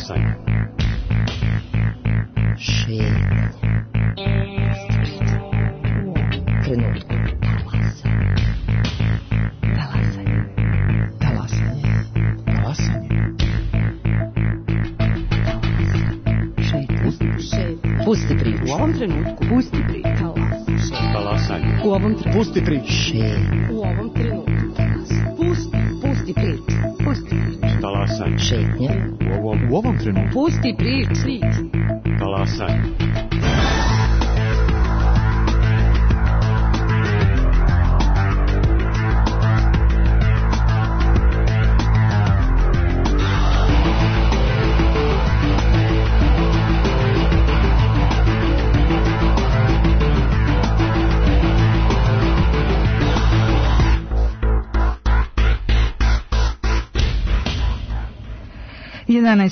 Talasanje. Šetnja. Trenutku. Talasanje. Talasanje. Talasanje. Pusti priču. U ovom trenutku. Pusti priču. Talasanje. U ovom trenutku. Pusti priču. U ovom trenutku. Pusti priču. Pusti priču. Talasanje. Šetnja. U ovom trenutku. Pusti priču. Talasanje.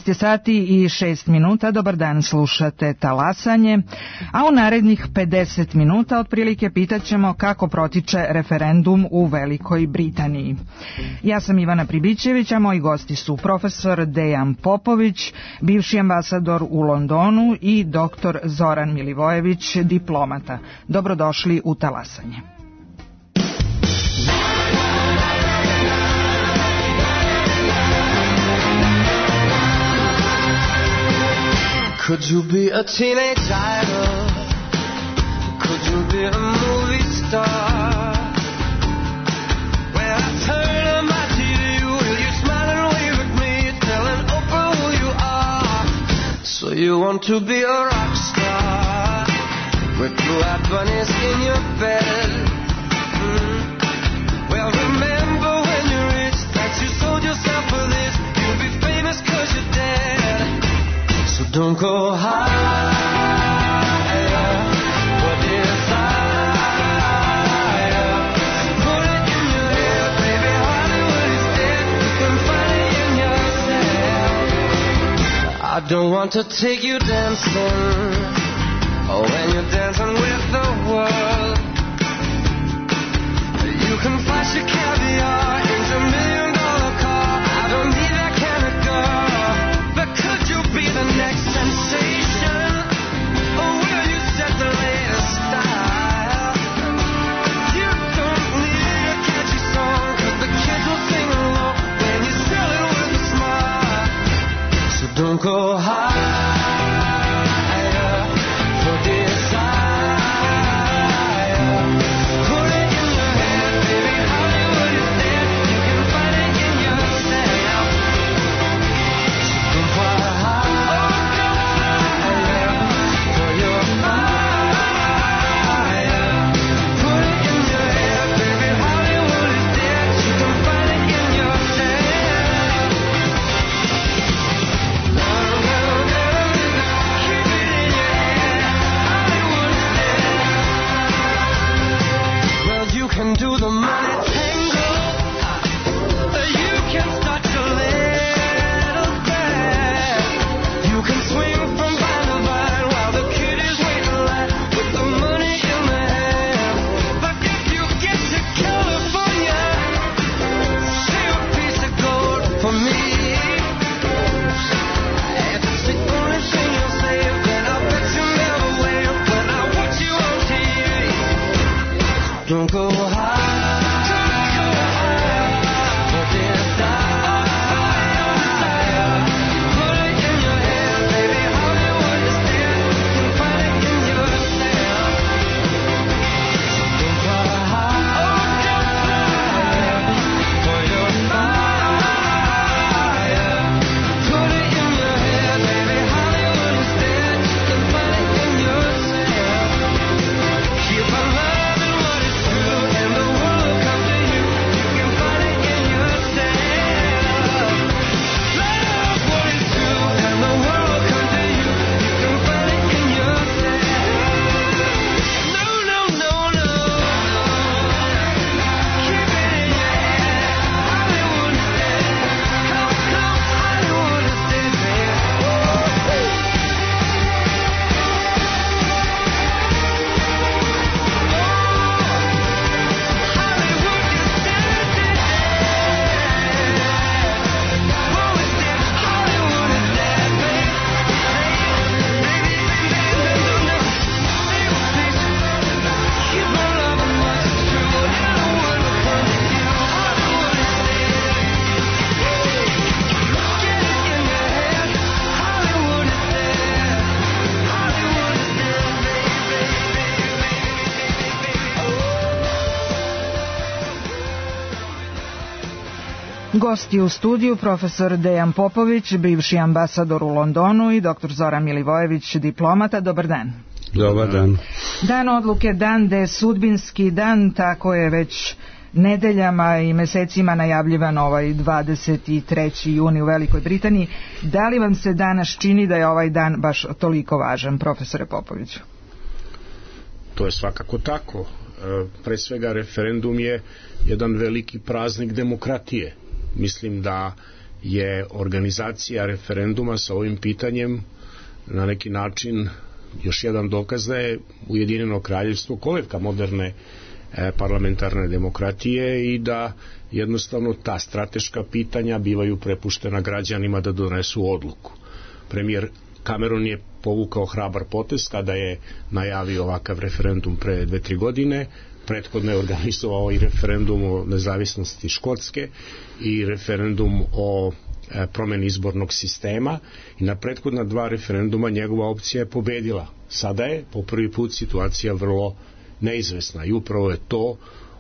Je sati i 6 minuta, dobar dan, slušate Talasanje, a u narednih 50 minuta otprilike pitaćemo kako protiče referendum u Velikoj Britaniji. Ja sam Ivana Pribićević, a moji gosti su profesor Dejan Popović, bivši ambasador u Londonu i doktor Zoran Milivojević, diplomata. Dobrodošli u Talasanje. Could you be a teenage idol? Could you be a movie star? When I turn on my TV, will you smile and wave at me, telling Oprah who you are? So you want to be a rock star with blue-eyed bunnies in your bed? Well, remember when you're rich that you sold yourself for this. You'll be famous 'cause you're dead. So don't go higher for desire. Put it in your head, baby, Hollywood is dead. You can find it in yourself. I don't want to take you dancing, oh, when you're dancing with the world. You can flash your caviar into $1,000,000 car. I don't need that kind of girl. But could you be the next sensation? Or will you set the latest style? You don't need a catchy song, 'cause the kids will sing along when you sell it with a smile. So don't go higher for desire. Put it in your head, baby, Hollywood is dead. You can find it in yourself. So don't go higher for your fire. Put it in your head, baby, Hollywood is dead. You can find it in yourself. Keep it in your head, Hollywood is dead. Well, you can do the money tango. You can start your little band. You can swing from vine to vine while the kid is waiting in line with the money in the hand. But if you get to California, save a piece of gold for me. If it's the only thing you'll save, then I'll bet you never wave when I watch you on TV. Don't go high for desire. Gosti u studiju profesor Dejan Popović, bivši ambasador u Londonu, i dr. Zoran Milivojević, diplomata. Dobar dan. Dobar dan. Dan odluke, dan de sudbinski dan, tako je već nedeljama i mesecima najavljivan ovaj 23. juni u Velikoj Britaniji. Da li vam se danas čini da je ovaj dan baš toliko važan, profesore Popoviću? To je svakako tako. Pre svega referendum je jedan veliki praznik demokratije. Mislim da je organizacija referenduma sa ovim pitanjem na neki način još jedan dokaz da je Ujedinjeno kraljevstvo kolevka moderne parlamentarne demokratije i da jednostavno ta strateška pitanja bivaju prepuštena građanima da donesu odluku. Premijer Cameron je povukao hrabar potez kada je najavio ovakav referendum pre 2-3 godine. Prethodno je organizovao i referendum o nezavisnosti Škotske i referendum o promeni izbornog sistema i na prethodna 2 referenduma njegova opcija je pobedila. Sada je po prvi put situacija vrlo neizvesna i upravo je to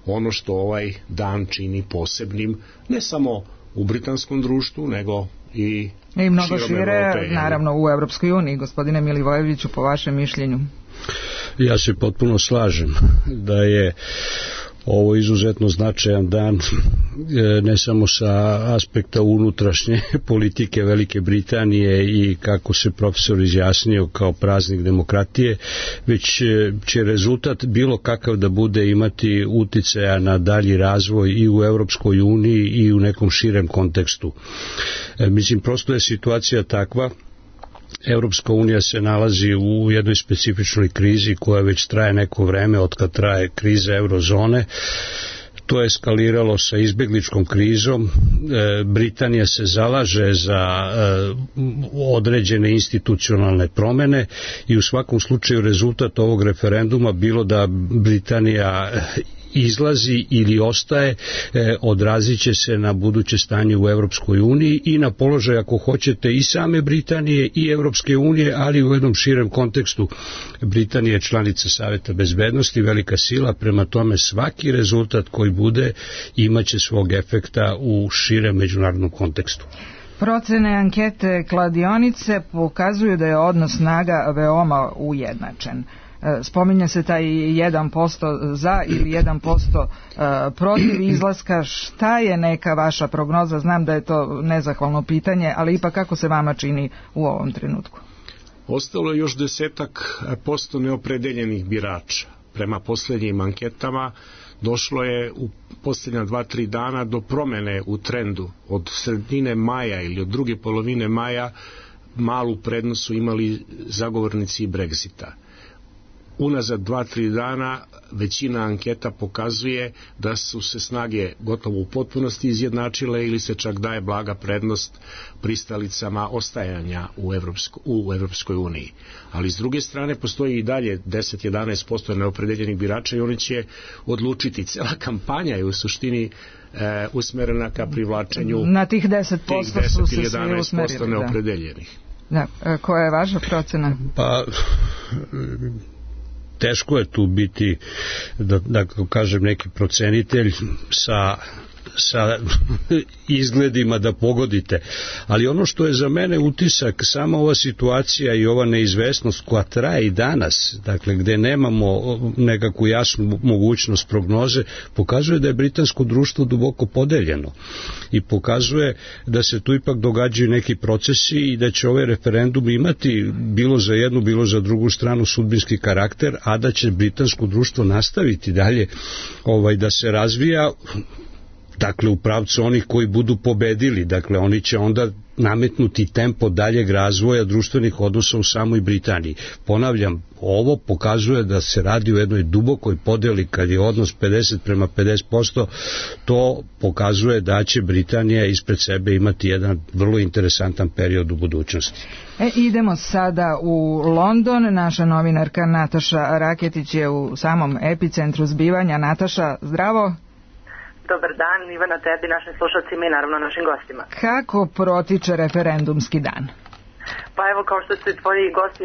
ono što ovaj dan čini posebnim ne samo u britanskom društvu nego i mnogo šire, naravno u Evropskoj uniji. Gospodine Milivojeviću, po vašem mišljenju? Ja se potpuno slažem da je ovo izuzetno značajan dan, ne samo sa aspekta unutrašnje politike Velike Britanije i kako se profesor izjasnio kao praznik demokratije, već će rezultat bilo kakav da bude imati uticaja na dalji razvoj i u Europskoj uniji i u nekom širem kontekstu. Mislim, prosto je situacija takva. Europska unija se nalazi u jednoj specifičnoj krizi koja već traje neko vreme od kad traje kriza eurozone. To je eskaliralo sa izbegličkom krizom. Britanija se zalaže za određene institucionalne promene i u svakom slučaju rezultat ovog referenduma bilo da Britanija izlazi ili ostaje, odrazit će se na buduće stanje u Europskoj uniji i na položaj, ako hoćete, i same Britanije i Europske unije, ali u jednom širem kontekstu. Britanija je članica Saveta bezbednosti, velika sila, prema tome svaki rezultat koji bude imaće svog efekta u širem međunarodnom kontekstu. Procene ankete kladionice pokazuju da je odnos snaga veoma ujednačen. Spominje se taj 1% za ili 1% protiv izlaska. Šta je neka vaša prognoza? Znam da je to nezahvalno pitanje, ali ipak kako se vama čini u ovom trenutku? Ostalo je još 10% neopredeljenih birača. Prema posljednjim anketama došlo je u posljednja 2-3 dana do promene u trendu. Od sredine maja ili od druge polovine maja malu prednost su imali zagovornici Brexita. Unazad 2-3 dana većina anketa pokazuje da su se snage gotovo u potpunosti izjednačile ili se čak daje blaga prednost pristalicama ostajanja u Evropskoj uniji. Ali s druge strane postoji i dalje 10-11% neopredeljenih birača i oni će odlučiti. Cela kampanja je u suštini usmerena ka privlačenju na tih 10% su se svi usmerili. 11% neopredeljenih. Da. Koja je vaša procena? Pa teško je tu biti, da kažem, neki procenitelj sa izgledima da pogodite, ali ono što je za mene utisak, sama ova situacija i ova neizvesnost koja traje i danas, dakle gde nemamo nekakvu jasnu mogućnost prognoze, pokazuje da je britansko društvo duboko podeljeno i pokazuje da se tu ipak događaju neki procesi i da će ovaj referendum imati bilo za jednu, bilo za drugu stranu sudbinski karakter, a da će britansko društvo nastaviti dalje da se razvija, dakle u pravcu onih koji budu pobedili, dakle oni će onda nametnuti tempo daljeg razvoja društvenih odnosa u samoj Britaniji. Ponavljam, ovo pokazuje da se radi o jednoj dubokoj podeli, kad je odnos 50:50, to pokazuje da će Britanija ispred sebe imati jedan vrlo interesantan period u budućnosti. Idemo sada u London. Naša novinarka Nataša Raketić je u samom epicentru zbivanja. Nataša, zdravo. Dobar dan, Ivana, tebi, našim slušalcima i naravno našim gostima. Kako protiče referendumski dan? Pa evo, kao što su tvoji gosti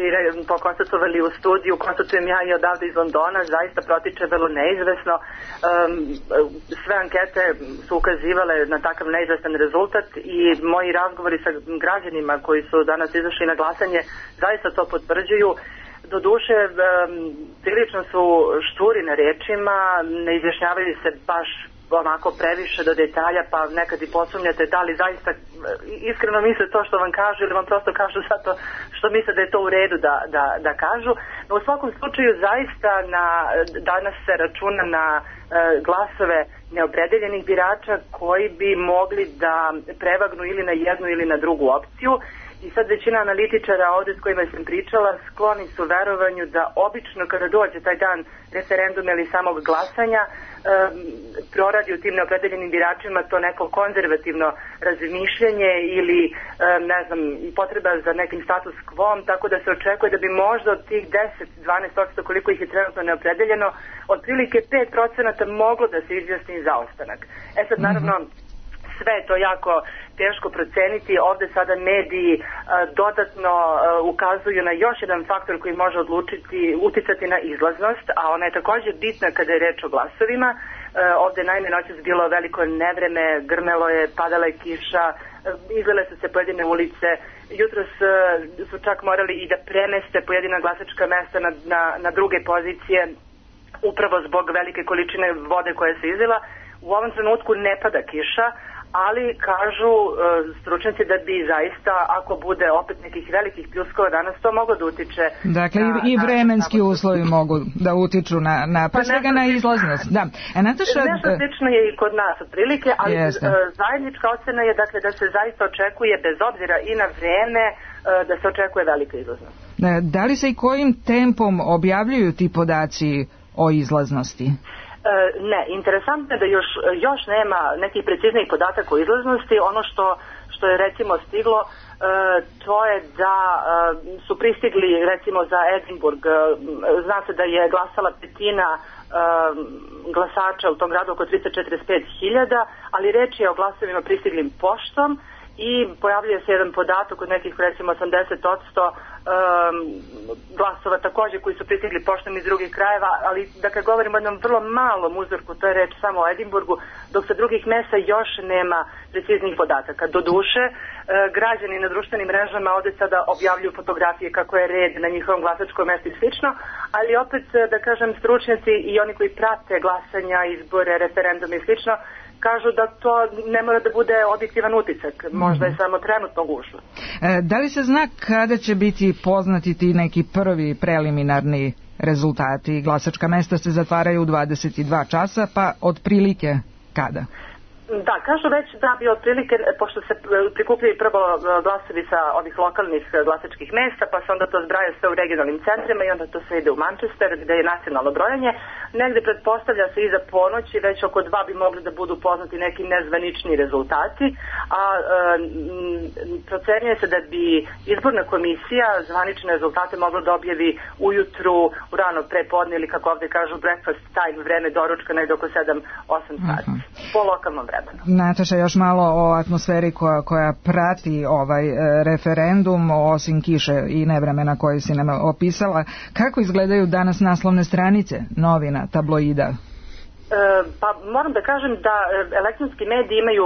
konstatovali u studiju, konstatujem ja i odavde iz Londona, zaista protiče vrlo neizvesno. Sve ankete su ukazivale na takav neizvestan rezultat i moji razgovori sa građanima koji su danas izašli na glasanje zaista to potvrđuju. Doduše, prilično su šturi na rečima, ne izjašnjavaju se baš onako previše do detalja, pa nekad i posumnjate da li zaista iskreno misle to što vam kažu ili vam prosto kažu zato što misle da je to u redu da kažu. No u svakom slučaju zaista danas se računa na glasove neopredeljenih birača koji bi mogli da prevagnu ili na jednu ili na drugu opciju. I sad većina analitičara ovdje s kojima sam pričala skloni su verovanju da obično kada dođe taj dan referenduma ili samog glasanja proradi u tim neopredeljenim biračima to neko konzervativno razmišljanje ili ne znam, potreba za nekim status quo, tako da se očekuje da bi možda od tih 10-12% koliko ih je trenutno neopredeljeno, otprilike 5% moglo da se izjasni za ostanak. E sad naravno sve je to jako teško proceniti. Ovde sada mediji dodatno ukazuju na još jedan faktor koji može uticati na izlaznost, a ona je također bitna kada je reč o glasovima. Ovde naime noćas bilo veliko nevreme, grmelo je, padala je kiša, izlile su se pojedine ulice, jutros su čak morali i da premeste pojedina glasačka mesta na druge pozicije upravo zbog velike količine vode koja se izlila. U ovom trenutku ne pada kiša, ali kažu stručnjaci da bi zaista, ako bude opet nekih velikih pljuskova danas, to moglo da utiče. Dakle, i vremenski uslovi mogu da utiču na pre svega na izlaznost. Da. Nataša, nešto slično je i kod nas otprilike, ali zajednička ocena je dakle da se zaista očekuje, bez obzira i na vreme, da se očekuje velika izlaznost. Da li se i kojim tempom objavljuju ti podaci o izlaznosti? Ne, interesantno je da još nema nekih preciznijih podataka o izlaznosti. Ono što je recimo stiglo, to je da su pristigli recimo za Edinburgh, zna se da je glasala petina glasača u tom gradu, oko 345.000, ali reč je o glasovima pristiglim poštom i pojavljuje se jedan podatak od nekih recimo 80% glasova također koji su pristigli poštom iz drugih krajeva, ali dakle govorimo o jednom vrlo malom uzorku, to je reč samo o Edinburgu, dok sa drugih mesta još nema preciznih podataka. Doduše, građani na društvenim mrežama ovdje sada objavljuju fotografije kako je red na njihovom glasačkom mjestu i slično, ali opet da kažem stručnjaci i oni koji prate glasanja, izbore, referendume i slično, kažu da to ne mora da bude objektivan utisak, možda je samo trenutno gužva. Da li se zna kada će biti poznati ti neki prvi preliminarni rezultati? Glasačka mesta se zatvaraju u 22 časa, pa otprilike kada? Da, kažu već da bi otprilike, pošto se prikupljaju prvo glasovi sa ovih lokalnih glasačkih mesta, pa se onda to zbraja sve u regionalnim centrima i onda to sve ide u Manchester gde je nacionalno brojanje. Negde pretpostavlja se iza ponoći, već oko 2 bi mogli da budu poznati neki nezvanični rezultati, a procenjuje se da bi izborna komisija zvanične rezultate mogla da objavi ujutru, u rano prepodne ili kako ovde kažu breakfast time, vreme doručka, negde oko 7-8 sati, po lokalnom vremenu. Nataša, još malo o atmosferi koja prati ovaj referendum, osim kiše i nevremena koje si nam opisala. Kako izgledaju danas naslovne stranice novina, tabloida? Pa moram da kažem da elektronski mediji imaju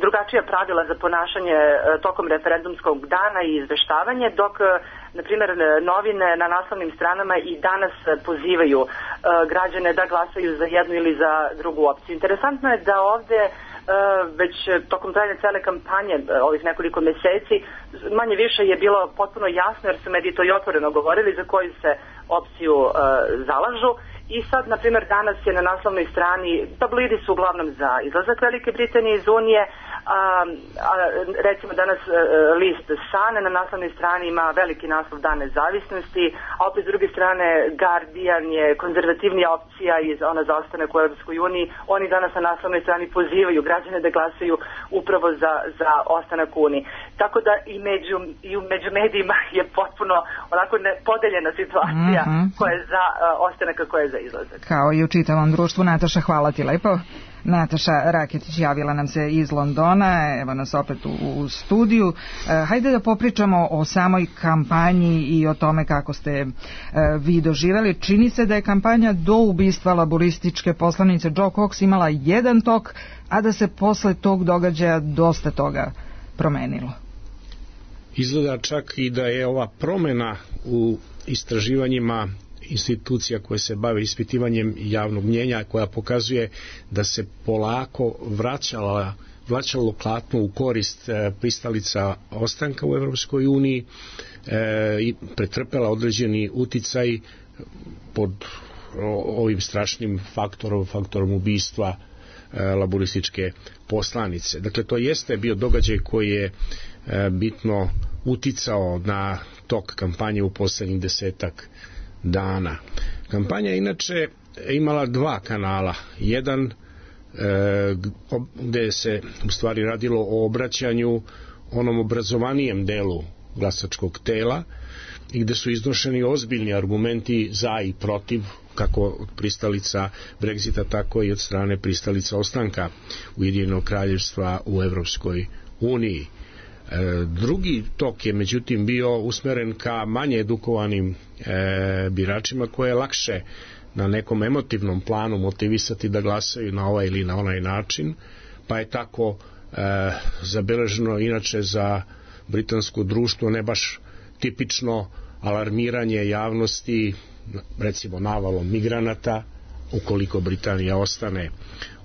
drugačija pravila za ponašanje tokom referendumskog dana i izveštavanje, dok na primjer novine na naslovnim stranama i danas pozivaju građane da glasaju za jednu ili za drugu opciju. Interesantno je da ovdje već tokom trajanja cele kampanje ovih nekoliko mjeseci manje više je bilo potpuno jasno, jer su mediji to i otvoreno govorili za koju se opciju zalažu. I sad, na primjer, danas je na naslovnoj strani, tabloidi su uglavnom za izlazak Velike Britanije iz Unije, recimo danas list Sun na naslovnoj strani ima veliki naslov Dan nezavisnosti, a opet s druge strane Guardian je konzervativnija opcija iz ona za ostanak u Europskoj uniji. Oni danas na naslovnoj strani pozivaju građane da glasaju upravo za ostanak u Uniji. Tako da i među medijima je potpuno onako podeljena situacija koja je za ostanak, koja je za izlazak. Kao i u čitavom društvu. Nataša, hvala ti lepo. Nataša Raketić javila nam se iz Londona, evo nas opet u studiju. Hajde da popričamo o samoj kampanji i o tome kako ste vi doživjeli. Čini se da je kampanja do ubistva laborističke poslanice Jo Cox imala jedan tok, a da se posle tog događaja dosta toga promenilo. Izgleda čak i da je ova promjena u istraživanjima institucija koje se bave ispitivanjem javnog mnjenja, koja pokazuje da se polako vraćalo klatno u korist pristalica ostanka u Evropskoj uniji i pretrpela određeni uticaj pod ovim strašnim faktorom ubistva laborističke poslanice. Dakle, to jeste bio događaj koji je bitno uticao na tok kampanje u poslednjih 10 dana. Kampanja inače imala 2 kanala. Jedan gde se u stvari radilo o obraćanju onom obrazovanijem delu glasačkog tela i gde su iznošeni ozbiljni argumenti za i protiv, kako od pristalica Brexita, tako i od strane pristalica ostanka Ujedinjenog kraljevstva u Evropskoj uniji. Drugi tok je međutim bio usmeren ka manje edukovanim biračima, koje je lakše na nekom emotivnom planu motivisati da glasaju na ovaj ili na onaj način, pa je tako zabeleženo inače za britansko društvo ne baš tipično alarmiranje javnosti, recimo navalom migranata ukoliko Britanija ostane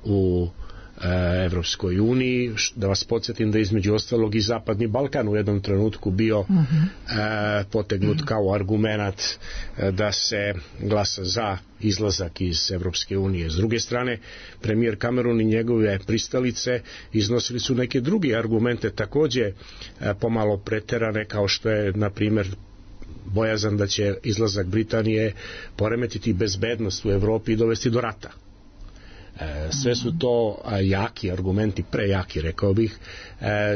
u Evropskoj uniji. Da vas podsjetim da između ostalog i Zapadni Balkan u jednom trenutku bio potegnut kao argumenat da se glasa za izlazak iz Evropske unije. S druge strane, premijer Cameron i njegove pristalice iznosili su neke druge argumente, takođe pomalo preterane, kao što je na primjer bojazan da će izlazak Britanije poremetiti bezbednost u Evropi i dovesti do rata. Sve su to jaki argumenti, prejaki rekao bih,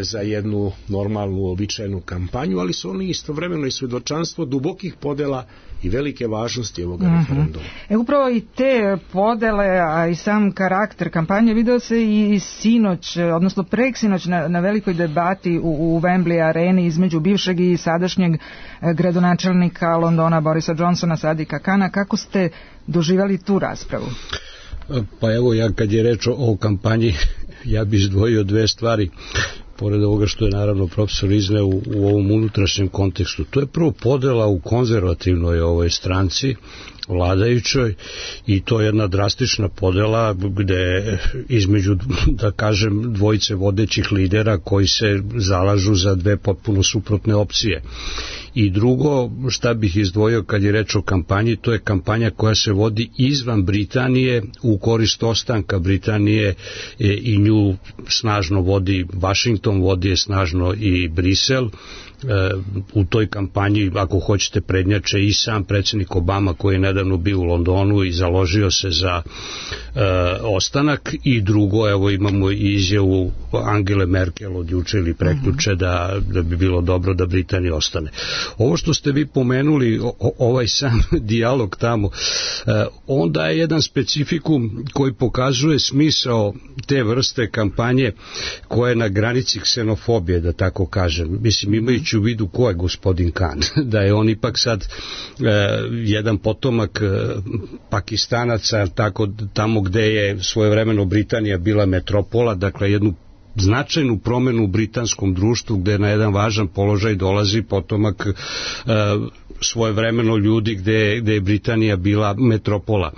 za jednu normalnu, običajnu kampanju, ali su oni istovremeno i svedočanstvo dubokih podela i velike važnosti ovog referenduma. Upravo i te podele, a i sam karakter kampanje video se i sinoć, odnosno preksinoć na velikoj debati u Wembley areni između bivšeg i sadašnjeg gradonačelnika Londona Borisa Johnsona, Sadika Kana. Kako ste doživjeli tu raspravu? Pa evo, ja kad je reč o kampanji, ja bih izdvojio 2 stvari, pored ovoga što je naravno profesor izneo u ovom unutrašnjem kontekstu. To je prvo podela u konzervativnoj ovoj stranci, vladajućoj, i to je jedna drastična podela gde između, da kažem, dvojice vodećih lidera koji se zalažu za 2 potpuno suprotne opcije. I drugo, šta bih izdvojio kad je reč o kampanji, to je kampanja koja se vodi izvan Britanije u korist ostanka Britanije, i nju snažno vodi Washington, vodi je snažno i Brisel. U toj kampanji, ako hoćete, prednjače i sam predsjednik Obama, koji je nedavno bio u Londonu i založio se za ostanak, i drugo, evo imamo i izjavu Angele Merkel od juče ili prekjuče da bi bilo dobro da Britanija ostane. Ovo što ste vi pomenuli, ovaj sam dijalog tamo, onda je jedan specifikum koji pokazuje smisao te vrste kampanje koja je na granici ksenofobije, da tako kažem. Mislim, imajući u vidu ko je gospodin Khan, da je on ipak sad jedan potomak Pakistanaca, tako tamo gde je svojevremeno Britanija bila metropola, dakle jednu značajnu promenu u britanskom društvu gde na jedan važan položaj dolazi potomak svojevremeno ljudi gde je Britanija bila metropola.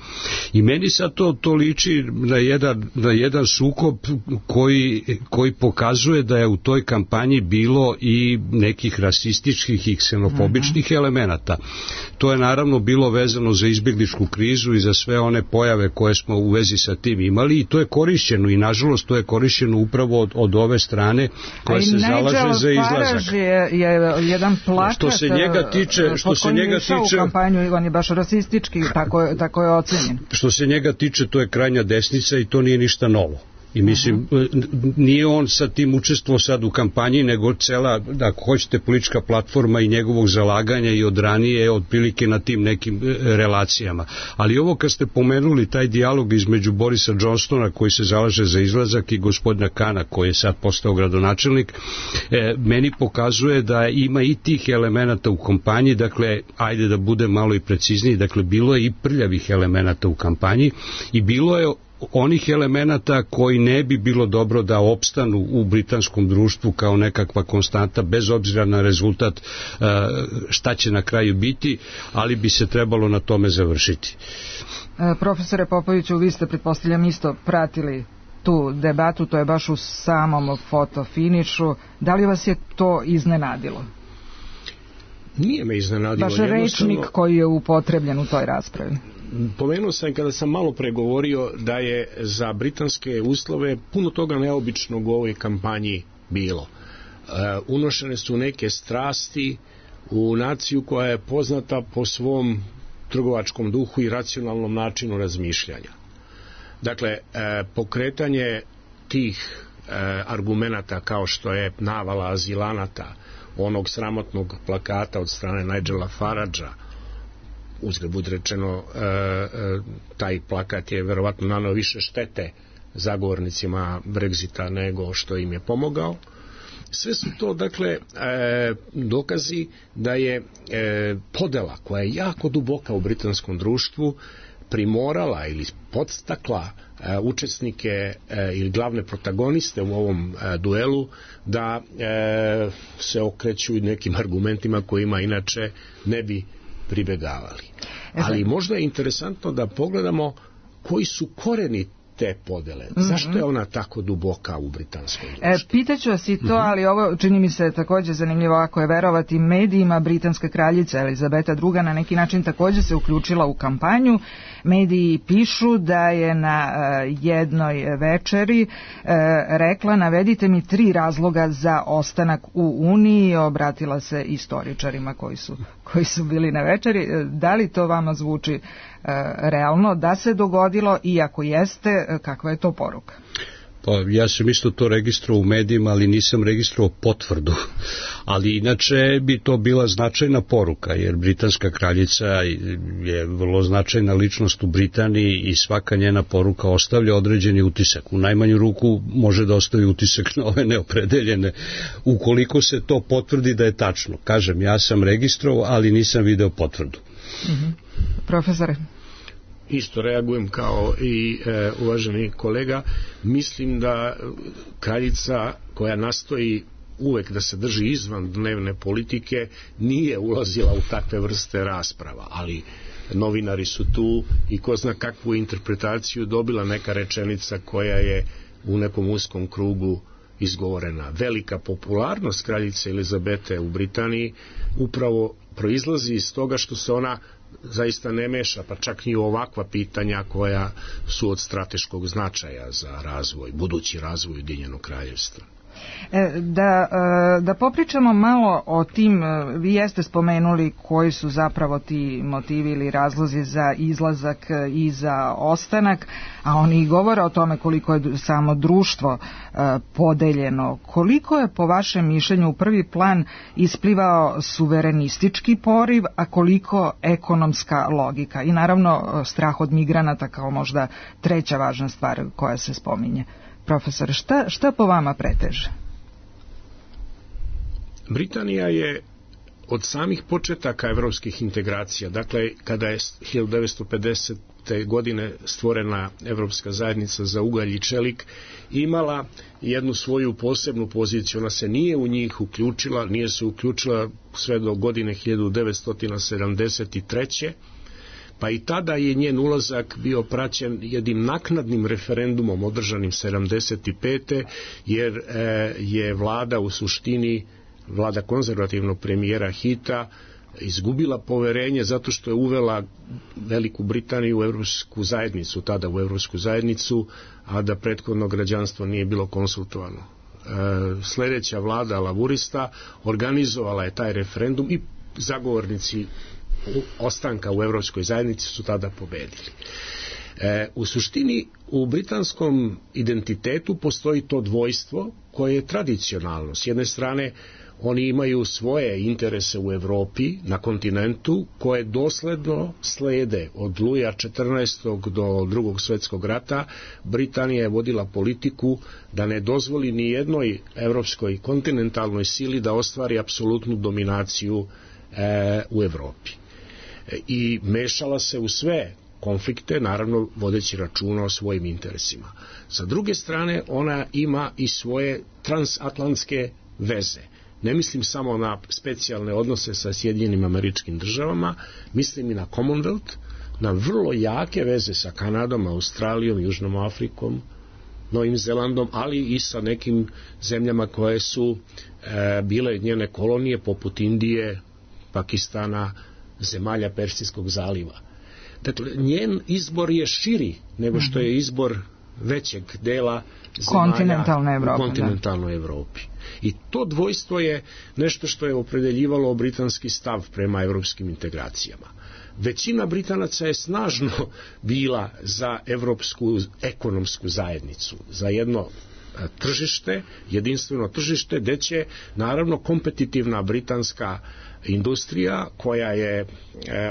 I meni sad to liči na jedan sukob koji pokazuje da je u toj kampanji bilo i nekih rasističkih i ksenofobičnih elemenata. To je naravno bilo vezano za izbjegličku krizu i za sve one pojave koje smo u vezi sa tim imali, i to je korišćeno, i nažalost to je korišćeno upravo od ove strane koja se zalaže za izlazak. Je jedan plakat što se njega tiče u kampanju, Ivan je baš rasistički, tako je ocenjen. Što se njega tiče, to je krajnja desnica i to nije ništa novo. I mislim, nije on sa tim učestvovao sad u kampanji, nego cela, ako hoćete, politička platforma i njegovog zalaganja i od ranije otprilike na tim nekim relacijama. Ali ovo kad ste pomenuli taj dijalog između Borisa Johnsona koji se zalaže za izlazak i gospodina Kana koji je sad postao gradonačelnik, meni pokazuje da ima i tih elemenata u kampanji, dakle, ajde da bude malo i precizniji, dakle, bilo je i prljavih elemenata u kampanji i bilo je onih elemenata koji ne bi bilo dobro da opstanu u britanskom društvu kao nekakva konstanta, bez obzira na rezultat šta će na kraju biti, ali bi se trebalo na tome završiti. Profesore Popoviću, vi ste, pretpostavljam, isto pratili tu debatu, to je baš u samom fotofinišu. Da li vas je to iznenadilo? Nije me iznenadilo. Baš rečnik koji je upotrebljen u toj raspravi. Pomenuo sam kada sam malo pregovorio da je za britanske uslove puno toga neobičnog u ovoj kampanji bilo. Unošene su neke strasti u naciju koja je poznata po svom trgovačkom duhu i racionalnom načinu razmišljanja. Dakle, pokretanje tih argumenata kao što je navala azilanata, onog sramotnog plakata od strane Nigela Faragea, uzgled budi rečeno, taj plakat je verovatno naneo više štete zagovornicima Brexita nego što im je pomogao. Sve su to, dakle, dokazi da je podela koja je jako duboka u britanskom društvu primorala ili podstakla učesnike ili glavne protagoniste u ovom duelu da se okreću nekim argumentima kojima inače ne bi pribegavali. Ali možda je interesantno da pogledamo koji su koreni te podele. Zašto je ona tako duboka u britanskom društvu? Pitaću vas i to, ali ovo čini mi se također zanimljivo, ako je verovati medijima. Britanska kraljica Elizabeta II na neki način također se uključila u kampanju. Mediji pišu da je na jednoj večeri rekla: navedite mi 3 razloga za ostanak u Uniji. Obratila se istoričarima koji su bili na večeri. Da li to vama zvuči realno da se dogodilo, i ako jeste, kakva je to poruka? Pa ja sam isto to registrovao u medijima, ali nisam registrovao potvrdu. Ali inače bi to bila značajna poruka, jer britanska kraljica je vrlo značajna ličnost u Britaniji i svaka njena poruka ostavlja određeni utisak. U najmanju ruku može da ostavi utisak na ove neopredeljene, ukoliko se to potvrdi da je tačno. Kažem, ja sam registrovao, ali nisam video potvrdu. Profesore? Isto reagujem kao i uvaženi kolega. Mislim da kraljica koja nastoji uvek da se drži izvan dnevne politike nije ulazila u takve vrste rasprava, ali novinari su tu i ko zna kakvu interpretaciju dobila neka rečenica koja je u nekom uskom krugu izgovorena. Velika popularnost kraljice Elizabete u Britaniji upravo proizlazi iz toga što se ona zaista ne meša, pa čak i ovakva pitanja koja su od strateškog značaja za razvoj, budući razvoj Ujedinjenog kraljevstva. Da popričamo malo o tim, vi jeste spomenuli koji su zapravo ti motivi ili razlozi za izlazak i za ostanak, a oni govore o tome koliko je samo društvo podeljeno. Koliko je po vašem mišljenju u prvi plan isplivao suverenistički poriv, a koliko ekonomska logika i naravno strah od migranata kao možda treća važna stvar koja se spominje? Profesor, šta po vama preteže? Britanija je od samih početaka evropskih integracija, dakle kada je 1950. godine stvorena Evropska zajednica za ugalj i čelik, imala jednu svoju posebnu poziciju. Ona se nije u njih uključila, nije se uključila sve do godine 1973. Pa i tada je njen ulazak bio praćen jednim naknadnim referendumom održanim 75. jer je vlada u suštini, vlada konzervativnog premijera Hita, izgubila poverenje zato što je uvela Veliku Britaniju u Evropsku zajednicu, tada u Evropsku zajednicu, a da prethodno građanstvo nije bilo konsultovano. Sljedeća vlada laburista organizovala je taj referendum i zagovornici ostanka u Evropskoj zajednici su tada pobedili. U suštini u britanskom identitetu postoji to dvojstvo koje je tradicionalno. S jedne strane oni imaju svoje interese u Evropi, na kontinentu, koje dosledno slede od Luja XIV. Do Drugog svjetskog rata. Britanija je vodila politiku da ne dozvoli ni jednoj evropskoj kontinentalnoj sili da ostvari apsolutnu dominaciju u Evropi. I mešala se u sve konflikte, naravno vodeći računa o svojim interesima. Sa druge strane, ona ima i svoje transatlantske veze. Ne mislim samo na specijalne odnose sa Sjedinjenim Američkim Državama, mislim i na Commonwealth, na vrlo jake veze sa Kanadom, Australijom, Južnom Afrikom, Novim Zelandom, ali i sa nekim zemljama koje su bile njene kolonije, poput Indije, Pakistana, zemalja Persijskog zaliva. Dakle, njen izbor je širi nego što je izbor većeg dela zemalja u kontinentalnoj Evropi. I to dvojstvo je nešto što je opredeljivalo britanski stav prema evropskim integracijama. Većina Britanaca je snažno bila za evropsku ekonomsku zajednicu, za jedno tržište, jedinstveno tržište, gde će naravno kompetitivna britanska industrija, koja je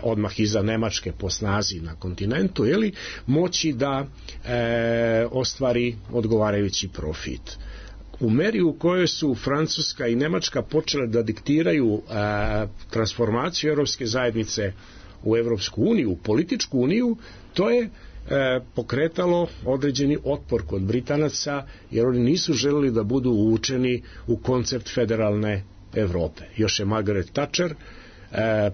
odmah iza Nemačke po snazi na kontinentu, moći da ostvari odgovarajući profit. U meri u kojoj su Francuska i Nemačka počele da diktiraju transformaciju Evropske zajednice u Evropsku uniju, u političku uniju, to je pokretalo određeni otpor kod Britanaca, jer oni nisu želeli da budu uvučeni u koncept federalne Evrope. Još je Margaret Thatcher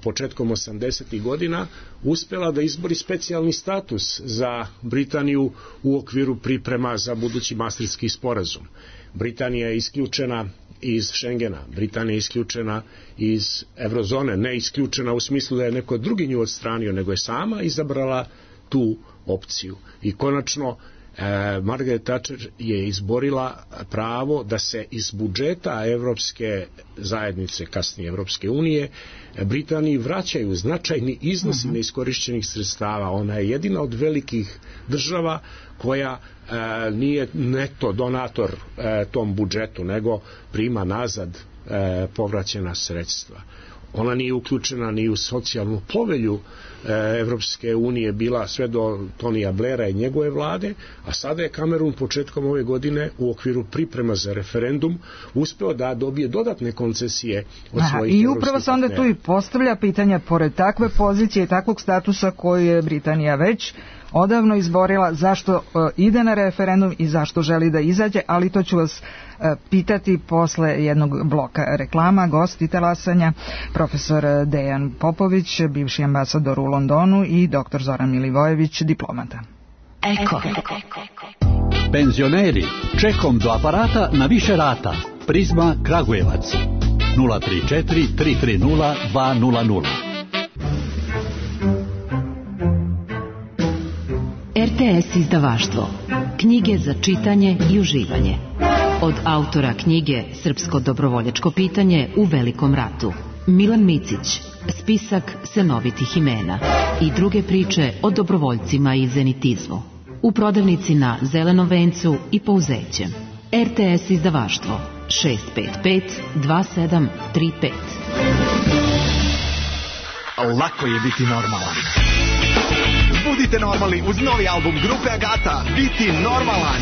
početkom 80. godina uspela da izbori specijalni status za Britaniju u okviru priprema za budući Maastrichtski sporazum. Britanija je isključena iz Schengena, Britanija je isključena iz Eurozone, ne isključena u smislu da je neko drugi nju odstranio, nego je sama izabrala tu opciju. I konačno Margaret Thatcher je izborila pravo da se iz budžeta Evropske zajednice, kasnije Evropske unije, Britaniji vraćaju značajni iznosi neiskorišćenih sredstava. Ona je jedina od velikih država koja nije neto donator tom budžetu, nego prima nazad povraćena sredstva. Ona nije uključena ni u socijalnu povelju Evropske unije, bila sve do Tonija Blaira i njegove vlade, a sada je Kamerun početkom ove godine u okviru priprema za referendum uspeo da dobije dodatne koncesije od svojih evropskih partnera. I upravo se onda tu i postavlja pitanje, pored takve pozicije i takvog statusa koju je Britanija već odavno izborila, zašto ide na referendum i zašto želi da izađe, ali to ću vas pitati posle jednog bloka reklama. Gosti talasanja, profesor Dejan Popović, bivši ambasador u Londonu, i dr. Zoran Milivojević, diplomata. Eko. Penzioneri, čekom do aparata na više rata. Prizma Kragujevac 034 330 200. RTS izdavaštvo. Knjige za čitanje i uživanje. Od autora knjige Srpsko dobrovoljačko pitanje u Velikom ratu, Milan Micić, spisak senovitih imena i druge priče o dobrovoljcima i zenitizmu. U prodavnici na Zelenom vencu i Pouzećem. RTS izdavaštvo 655 2735. Lako je biti normalan. Budite normalni uz novi album grupe Agata, Biti normalan.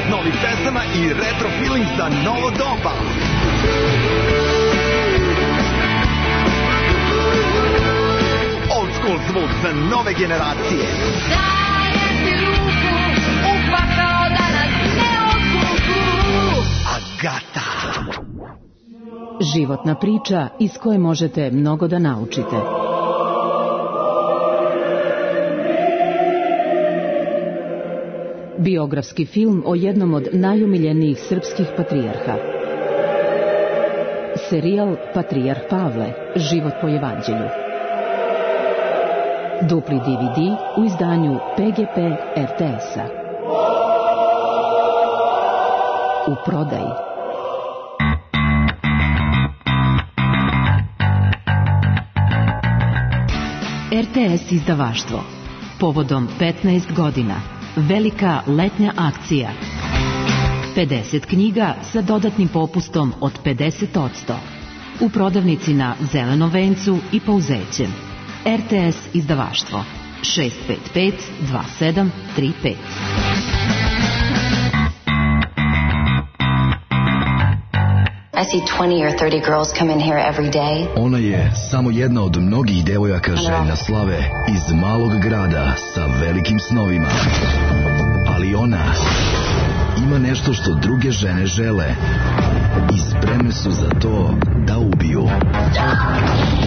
10 novih pesama i retro feeling za novo doba. Old school zvuk za nove generacije. Dajem ti ruku, upakao da nas ne otkuku. Agata. Životna priča iz koje možete mnogo da naučite. Biografski film o jednom od najumiljenijih srpskih patrijarha. Serijal Patrijarh Pavle, život po evanđelju. Dupli DVD u izdanju PGP RTS-a. U prodaji. RTS izdavaštvo. Povodom 15 godina. Velika letnja akcija. 50 knjiga sa dodatnim popustom od 50%. U prodavnici na Zelenom vencu i Pouzećem. RTS izdavaštvo. 655 2735. I see 20 or 30 girls come in here every day. Ona je samo jedna od mnogih devojaka željna slave iz malog grada sa velikim snovima. Ali ona ima nešto što druge žene žele i spremne su za to da ubiju.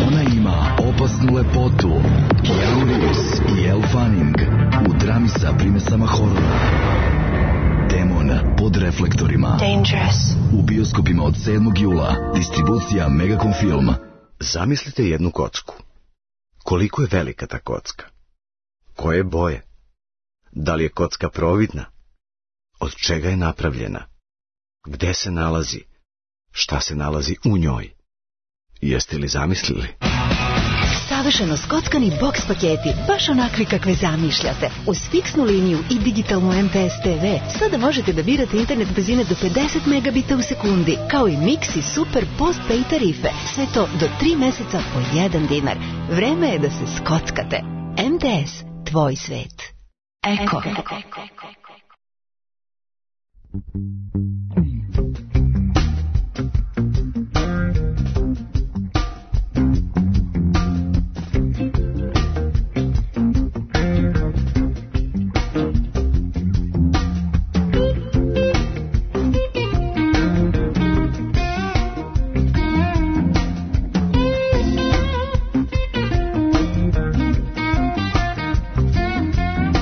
Ona ima opasnu lepotu, Keanu Reeves i Elle Fanning u drami sa primesama horora. Demon pod reflektorima. Dangerous. U bioskopima od 7. jula. Distribucija Megacom Film. Zamislite jednu kocku. Koliko je velika ta kocka? Koje boje? Da li je kocka providna? Od čega je napravljena? Gde se nalazi? Šta se nalazi u njoj? Jeste li zamislili? Savršeno skockani boks paketi, baš onakvi kakve zamišljate. Uz fiksnu liniju i digitalnu MPS TV sada možete da birate internet brzine do 50 megabita u sekundi, kao i Mix i Super Postpay tarife. Sve to do 3 meseca po 1 dinar. Vreme je da se skockate. MTS, tvoj svet. Eko.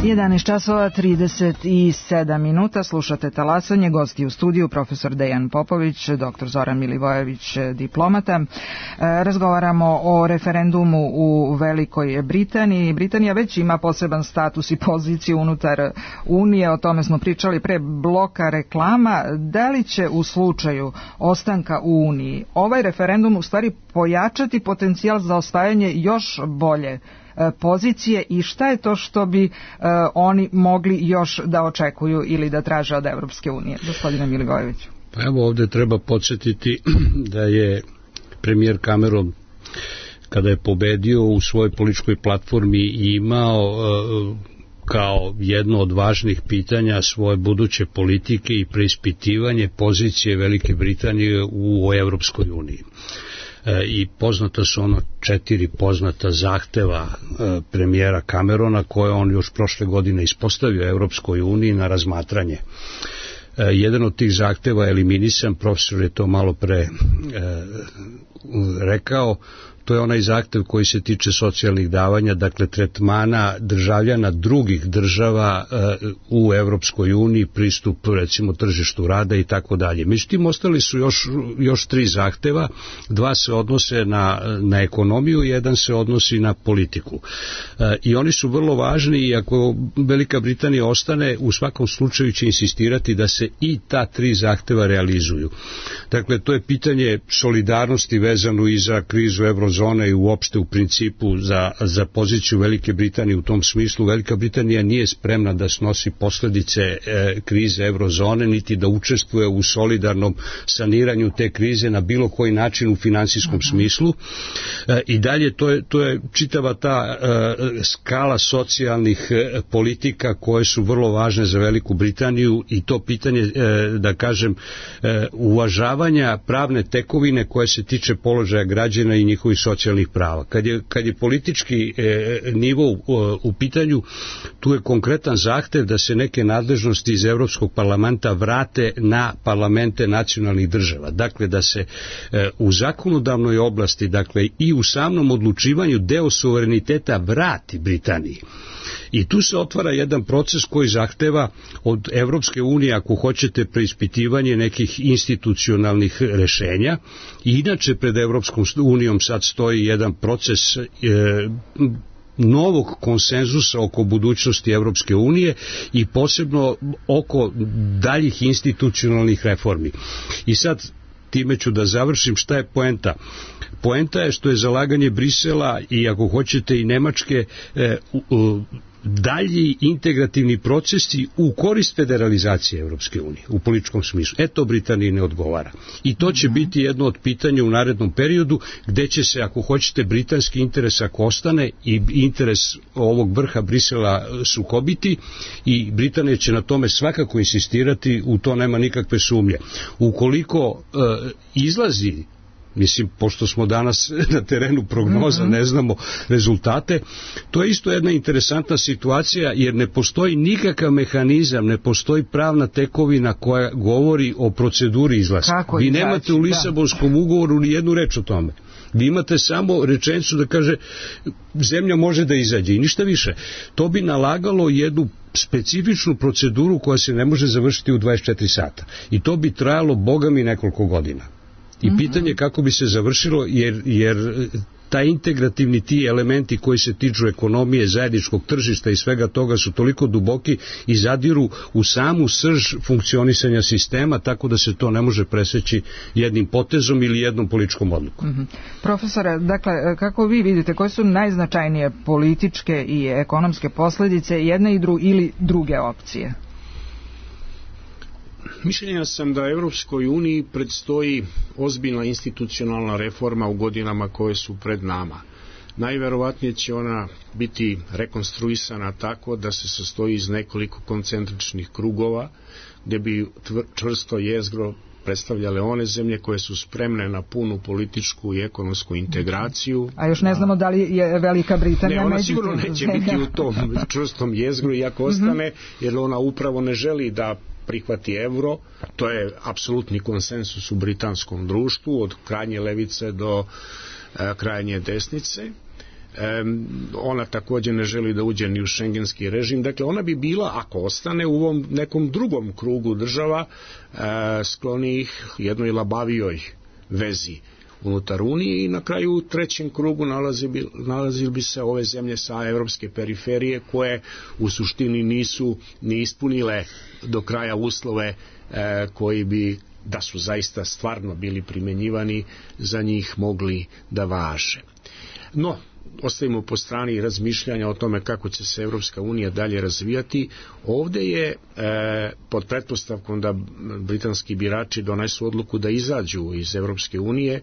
11 časova 37 minuta, slušate Talasanje, gosti u studiju profesor Dejan Popović, dr. Zoran Milivojević, diplomata. Razgovaramo o referendumu u Velikoj Britaniji. Britanija već ima poseban status i poziciju unutar Unije, o tome smo pričali pre bloka reklama. Da li će u slučaju ostanka u Uniji ovaj referendum u stvari pojačati potencijal za osvajanje još bolje pozicije i šta je to što bi oni mogli još da očekuju ili da traže od Evropske unije? Gospodine Milivojeviću. Pa evo, ovdje treba podsjetiti da je premijer Cameron, kada je pobedio, u svojoj političkoj platformi imao kao jedno od važnih pitanja svoje buduće politike i preispitivanje pozicije Velike Britanije u Evropskoj uniji. I poznata su 4 poznata zahteva premijera Camerona koje on još prošle godine ispostavio Evropskoj uniji na razmatranje. Jedan od tih zahteva je eliminisan, profesor je to malo pre rekao, to je onaj zahtev koji se tiče socijalnih davanja, dakle tretmana državljana drugih država u Evropskoj uniji, pristup recimo tržištu rada i tako dalje. Međutim, ostali su još 3 zahteva, 2 se odnose na ekonomiju, jedan se odnosi na politiku. I oni su vrlo važni i ako Velika Britanija ostane, u svakom slučaju će insistirati da se i ta 3 zahteva realizuju. Dakle, to je pitanje solidarnosti vezano i za krizu eurozone i uopšte u principu za poziciju Velike Britanije u tom smislu. Velika Britanija nije spremna da snosi posljedice krize eurozone, niti da učestvuje u solidarnom saniranju te krize na bilo koji način u finansijskom smislu. I dalje to je čitava ta skala socijalnih politika koje su vrlo važne za Veliku Britaniju i to pitanje, da kažem, uvažavanja pravne tekovine koje se tiče položaja građana i njihovih socijalnih prava. Kad je politički nivo u pitanju, tu je konkretan zahtev da se neke nadležnosti iz Evropskog parlamenta vrate na parlamente nacionalnih država. Dakle, da se u zakonodavnoj oblasti, dakle i u samom odlučivanju deo suvereniteta vrati Britaniji. I tu se otvara jedan proces koji zahteva od Evropske unije, ako hoćete, preispitivanje nekih institucionalnih rešenja. I inače pred Evropskom unijom sad stoji jedan proces novog konsenzusa oko budućnosti Evropske unije i posebno oko daljih institucionalnih reformi. I sad time ću da završim. Šta je poenta? Poenta je što je zalaganje Brisela i ako hoćete i Nemačke dalji integrativni procesi u korist federalizacije Evropske unije u političkom smislu. To Britaniji ne odgovara. I to će biti jedno od pitanja u narednom periodu gde će se, ako hoćete, britanski interes ako ostane i interes ovog vrha Brisela sukobiti i Britanija će na tome svakako insistirati, u to nema nikakve sumnje. Ukoliko izlazi, mislim, pošto smo danas na terenu prognoza, ne znamo rezultate, to je isto jedna interesantna situacija, jer ne postoji nikakav mehanizam, ne postoji pravna tekovina koja govori o proceduri izlaska. Vi nemate u Lisabonskom ugovoru ni jednu reč o tome. Vi imate samo rečenicu da kaže zemlja može da izađe i ništa više. To bi nalagalo jednu specifičnu proceduru koja se ne može završiti u 24 sata. I to bi trajalo, boga mi, nekoliko godina. I pitanje kako bi se završilo, jer taj integrativni ti elementi koji se tiču ekonomije, zajedničkog tržišta i svega toga su toliko duboki i zadiru u samu srž funkcionisanja sistema, tako da se to ne može preseći jednim potezom ili jednom političkom odlukom. Profesore, dakle, kako vi vidite, koje su najznačajnije političke i ekonomske posljedice jedne ili druge opcije? Mišljenja sam da Evropskoj uniji predstoji ozbiljna institucionalna reforma u godinama koje su pred nama. Najverovatnije će ona biti rekonstruisana tako da se sastoji iz nekoliko koncentričnih krugova, gde bi čvrsto jezgro predstavljale one zemlje koje su spremne na punu političku i ekonomsku integraciju. A još ne znamo da li je Velika Britanija ona sigurno neće biti u tom čvrstom jezgru i ako ostane, jer ona upravo ne želi da prihvati evro. To je apsolutni konsensus u britanskom društvu, od krajnje levice do krajnje desnice. Ona također ne želi da uđe ni u šengenski režim. Dakle, ona bi bila, ako ostane, u ovom nekom drugom krugu država sklonijih jednoj labavijoj vezi unutar Unije i na kraju u trećem krugu nalazili bi se ove zemlje sa evropske periferije koje u suštini nisu ni ispunile do kraja uslove koji bi, da su zaista stvarno bili primenjivani, za njih mogli da važe. No, ostavimo po strani razmišljanja o tome kako će se Evropska unija dalje razvijati. Ovdje je pod pretpostavkom da britanski birači donesu odluku da izađu iz Evropske unije,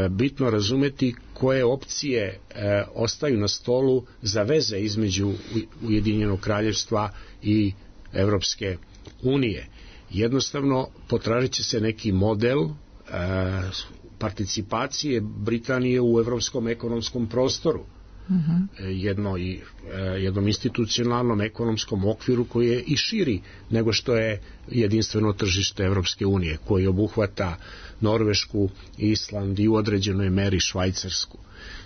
bitno razumeti koje opcije ostaju na stolu za veze između Ujedinjenog kraljevstva i Evropske unije. Jednostavno potražit će se neki model participacije Britanije u evropskom ekonomskom prostoru, jednom institucionalnom ekonomskom okviru koji je i širi nego što je jedinstveno tržište Evropske unije, koji obuhvata Norvešku, Island i u određenoj meri Švajcarsku.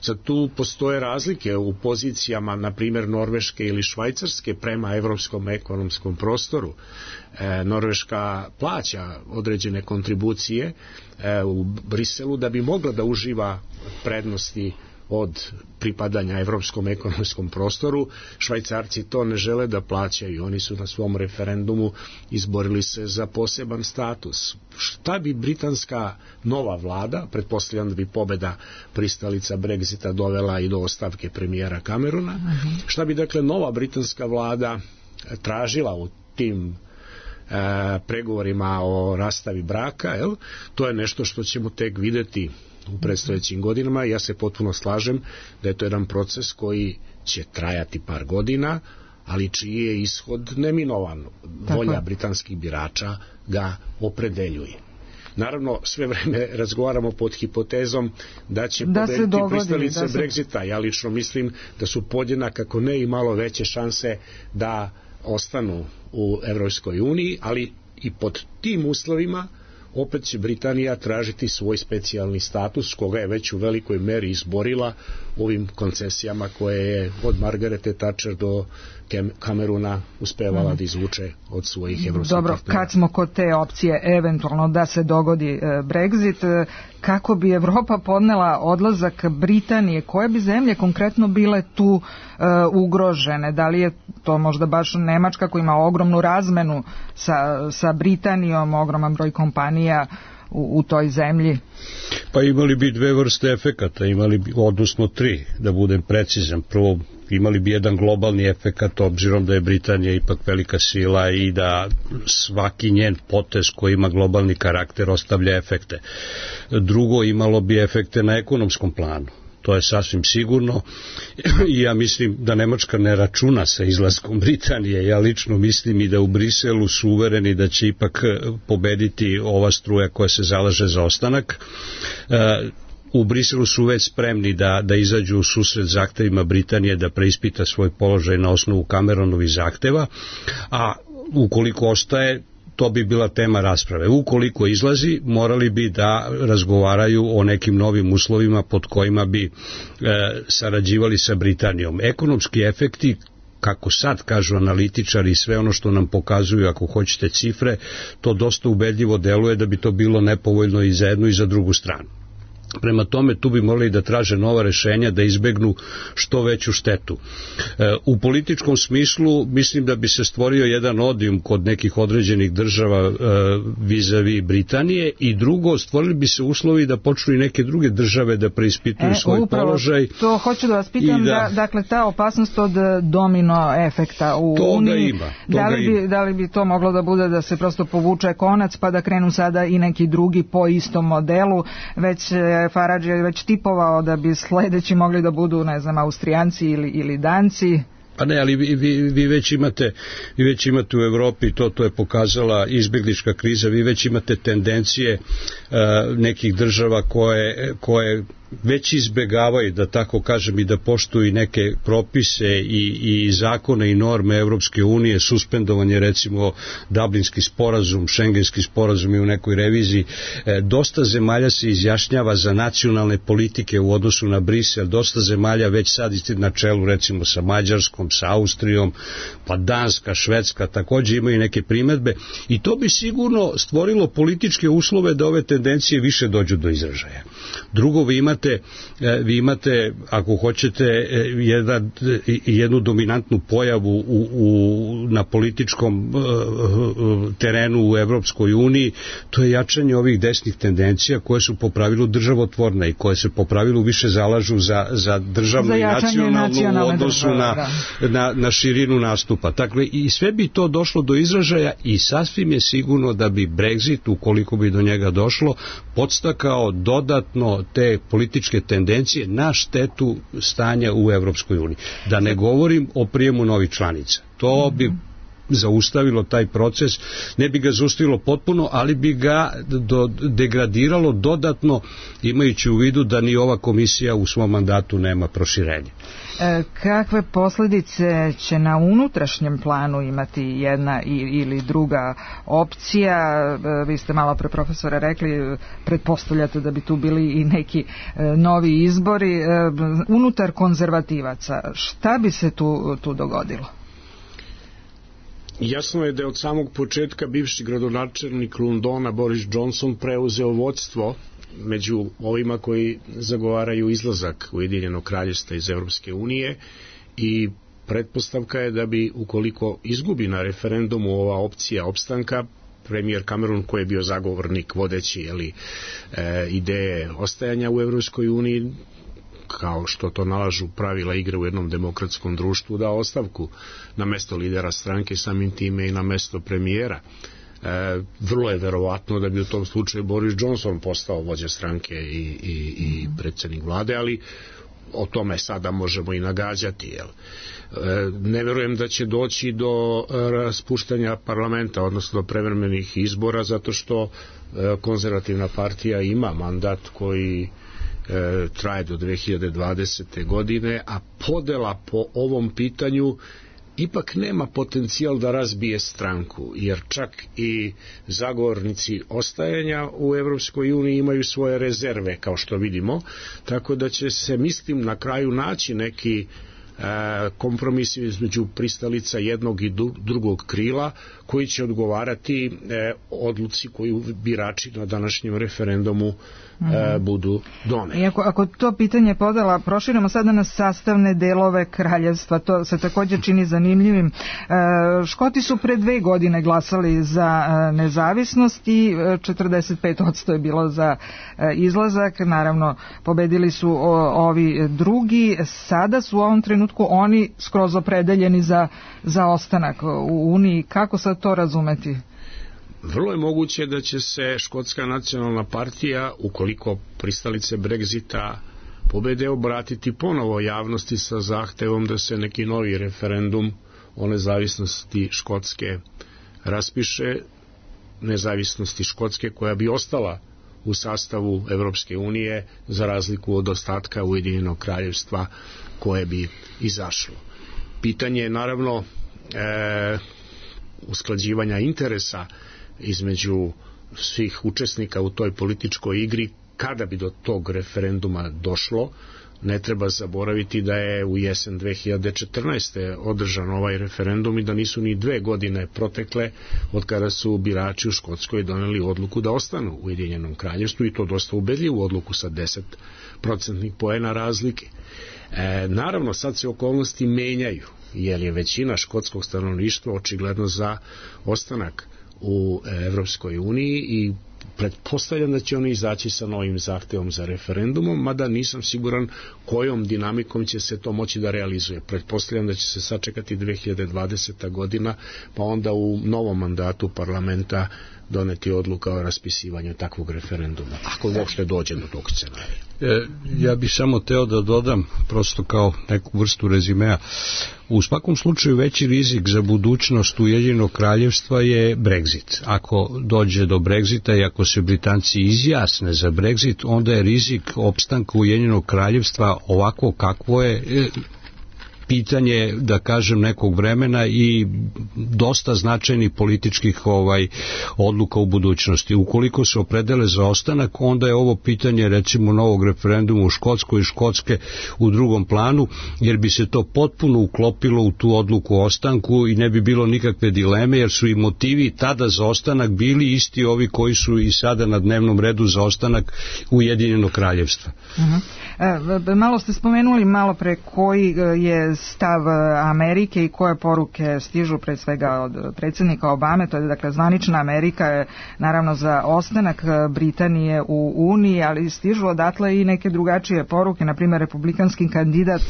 Sad tu postoje razlike u pozicijama, na primjer Norveške ili Švajcarske prema evropskom ekonomskom prostoru. Norveška plaća određene kontribucije u Briselu da bi mogla da uživa prednosti od pripadanja evropskom ekonomskom prostoru. Švajcarci to ne žele da plaćaju, oni su na svom referendumu izborili se za poseban status. Šta bi britanska nova vlada, pretpostavljam da bi pobeda pristalica Brexita dovela i do ostavke premijera Camerona, šta bi dakle nova britanska vlada tražila u tim pregovorima o rastavi braka, to je nešto što ćemo tek videti u predstojećim godinama. Ja se potpuno slažem da je to jedan proces koji će trajati par godina, ali čiji je ishod neminovan. Volja britanskih birača ga opredeljuje. Naravno, sve vreme razgovaramo pod hipotezom da će pobediti pristalice Brexita. Ja lično mislim da su podjednako, kako ne i malo veće šanse da ostanu u Evropskoj uniji, ali i pod tim uslovima opet će Britanija tražiti svoj specijalni status, koga je već u velikoj meri izborila ovim koncesijama koje je od Margarete Thatcher do Camerona uspevala da izvuče od svojih evropskih partnera. Dobro, kad smo kod te opcije eventualno da se dogodi Brexit, kako bi Evropa podnela odlazak Britanije, koje bi zemlje konkretno bile tu ugrožene? Da li je to možda baš Nemačka koja ima ogromnu razmenu sa Britanijom, ogroman broj kompanija u toj zemlji? Pa imali bi dve vrste efekata, odnosno tri, da budem precizan. Prvo, imali bi jedan globalni efekat, obzirom da je Britanija ipak velika sila i da svaki njen potez koji ima globalni karakter ostavlja efekte. Drugo, imalo bi efekte na ekonomskom planu. To je sasvim sigurno i ja mislim da Nemačka ne računa sa izlaskom Britanije. Ja lično mislim i da u Briselu su uvereni da će ipak pobediti ova struja koja se zalaže za ostanak. U Briselu su već spremni da izađu u susret zahtevima Britanije da preispita svoj položaj na osnovu Cameronovih zahteva, a ukoliko ostaje, to bi bila tema rasprave. Ukoliko izlazi, morali bi da razgovaraju o nekim novim uslovima pod kojima bi sarađivali sa Britanijom. Ekonomski efekti, kako sad kažu analitičari i sve ono što nam pokazuju, ako hoćete cifre, to dosta ubedljivo deluje da bi to bilo nepovoljno i za jednu i za drugu stranu. Prema tome, tu bi morali da traže nova rešenja, da izbegnu što veću štetu. U političkom smislu mislim da bi se stvorio jedan odijum kod nekih određenih država vis-a-vis Britanije i drugo, stvorili bi se uslovi da počnu i neke druge države da preispituju svoj položaj. To hoću da vas pitam, dakle ta opasnost od domino efekta u Uniji, da li bi to moglo da bude da se prosto povuče konac pa da krenu sada i neki drugi po istom modelu, već Farage je već tipovao da bi sledeći mogli da budu, ne znam, Austrijanci ili Danci. Pa ne, ali vi već imate u Evropi, to je pokazala izbjeglička kriza, vi već imate tendencije nekih država koje već izbegavaju, da tako kažem, i da poštuju neke propise i zakone i norme Evropske unije, suspendovanje recimo Dublinski sporazum, Šengenski sporazum i u nekoj reviziji. Dosta zemalja se izjašnjava za nacionalne politike u odnosu na Brisel, dosta zemalja već sad na čelu recimo sa Mađarskom, sa Austrijom, pa Danska, Švedska također imaju neke primedbe i to bi sigurno stvorilo političke uslove da ove tendencije više dođu do izražaja. Drugo, vi imate, ako hoćete, jednu dominantnu pojavu na političkom terenu u Evropskoj uniji, to je jačanje ovih desnih tendencija koje su po pravilu državotvorne i koje se po pravilu više zalažu za državnu i nacionalnu u odnosu na širinu nastupa. Dakle, i sve bi to došlo do izražaja i sasvim je sigurno da bi Brexit, ukoliko bi do njega došlo, podstakao dodatno te političke tendencije na štetu stanja u Evropskoj uniji. Da ne govorim o prijemu novih članica. To bi zaustavilo taj proces, ne bi ga zaustavilo potpuno, ali bi ga degradiralo dodatno, imajući u vidu da ni ova komisija u svom mandatu nema proširenje. Kakve posljedice će na unutrašnjem planu imati jedna ili druga opcija? Vi ste malo pre, profesore, rekli, pretpostavljate da bi tu bili i neki novi izbori. Unutar konzervativaca, šta bi se tu dogodilo? Jasno je da je od samog početka bivši gradonačelnik Londona Boris Johnson preuzeo vodstvo među ovima koji zagovaraju izlazak Ujedinjenog kraljevstva iz Evropske unije i pretpostavka je da bi, ukoliko izgubi na referendumu ova opcija opstanka, premijer Cameron, koji je bio zagovornik vodeći ideje ostajanja u Evropskoj uniji, kao što to nalažu pravila igre u jednom demokratskom društvu, dao ostavku na mesto lidera stranke, samim time i na mesto premijera. Vrlo je verovatno da bi u tom slučaju Boris Johnson postao vođa stranke i predsjednik vlade, ali o tome sada možemo i nagađati. Ne verujem da će doći do raspuštanja parlamenta, odnosno do prevremenih izbora, zato što konzervativna partija ima mandat koji traje do 2020. godine, a podela po ovom pitanju ipak nema potencijal da razbije stranku, jer čak i zagovornici ostajanja u Evropskoj uniji imaju svoje rezerve, kao što vidimo, tako da će se, mislim, na kraju naći neki kompromis između pristalica jednog i drugog krila koji će odgovarati odluci koju birači na današnjem referendumu budu doneli. I ako to pitanje podela proširimo sada na sastavne delove kraljevstva, to se također čini zanimljivim. Škoti su pre 2 godine glasali za nezavisnost i 45% je bilo za izlazak. Naravno, pobedili su ovi drugi. Sada su u ovom trenutku oni skroz opredeljeni za ostanak u Uniji. Kako sad to razumeti? Vrlo je moguće da će se Škotska nacionalna partija, ukoliko pristalice Brexita pobede, obratiti ponovo javnosti sa zahtevom da se neki novi referendum o nezavisnosti Škotske raspiše, nezavisnosti Škotske koja bi ostala u sastavu Evropske unije za razliku od ostatka Ujedinjenog kraljevstva koje bi izašlo. Pitanje je naravno usklađivanja interesa između svih učesnika u toj političkoj igri. Kada bi do tog referenduma došlo, ne treba zaboraviti da je u jesen 2014. održan ovaj referendum i da nisu ni 2 godine protekle od kada su birači u Škotskoj doneli odluku da ostanu u Ujedinjenom kraljevstvu, i to dosta ubedljivu odluku sa 10% poena razlike. Naravno, sad se okolnosti menjaju, jer je većina škotskog stanovništva očigledno za ostanak u Evropskoj uniji i pretpostavljam da će oni izaći sa novim zahtevom za referendumom, mada nisam siguran kojom dinamikom će se to moći da realizuje. Pretpostavljam da će se sačekati 2020. godina, pa onda u novom mandatu parlamenta doneti odluka o raspisivanju takvog referenduma, ako uopšte dođe do tog scenarija. Ja bih samo teo da dodam, prosto kao neku vrstu rezimea, u svakom slučaju veći rizik za budućnost Ujedinjenog kraljevstva je Brexit. Ako dođe do Brexita i ako se Britanci izjasne za Brexit, onda je rizik opstanka Ujedinjenog kraljevstva ovako kakvo je pitanje, da kažem, nekog vremena i dosta značajnih političkih odluka u budućnosti. Ukoliko se opredele za ostanak, onda je ovo pitanje recimo novog referenduma u Škotskoj i Škotske u drugom planu, jer bi se to potpuno uklopilo u tu odluku o ostanku i ne bi bilo nikakve dileme, jer su i motivi tada za ostanak bili isti ovi koji su i sada na dnevnom redu za ostanak Ujedinjenog kraljevstva. Malo ste spomenuli malo pre koji je stav Amerike i koje poruke stižu pre svega od predsjednika Obame, to je dakle zvanična Amerika je naravno za ostanak Britanije u Uniji, ali stižu odatle i neke drugačije poruke, na primjer republikanski kandidat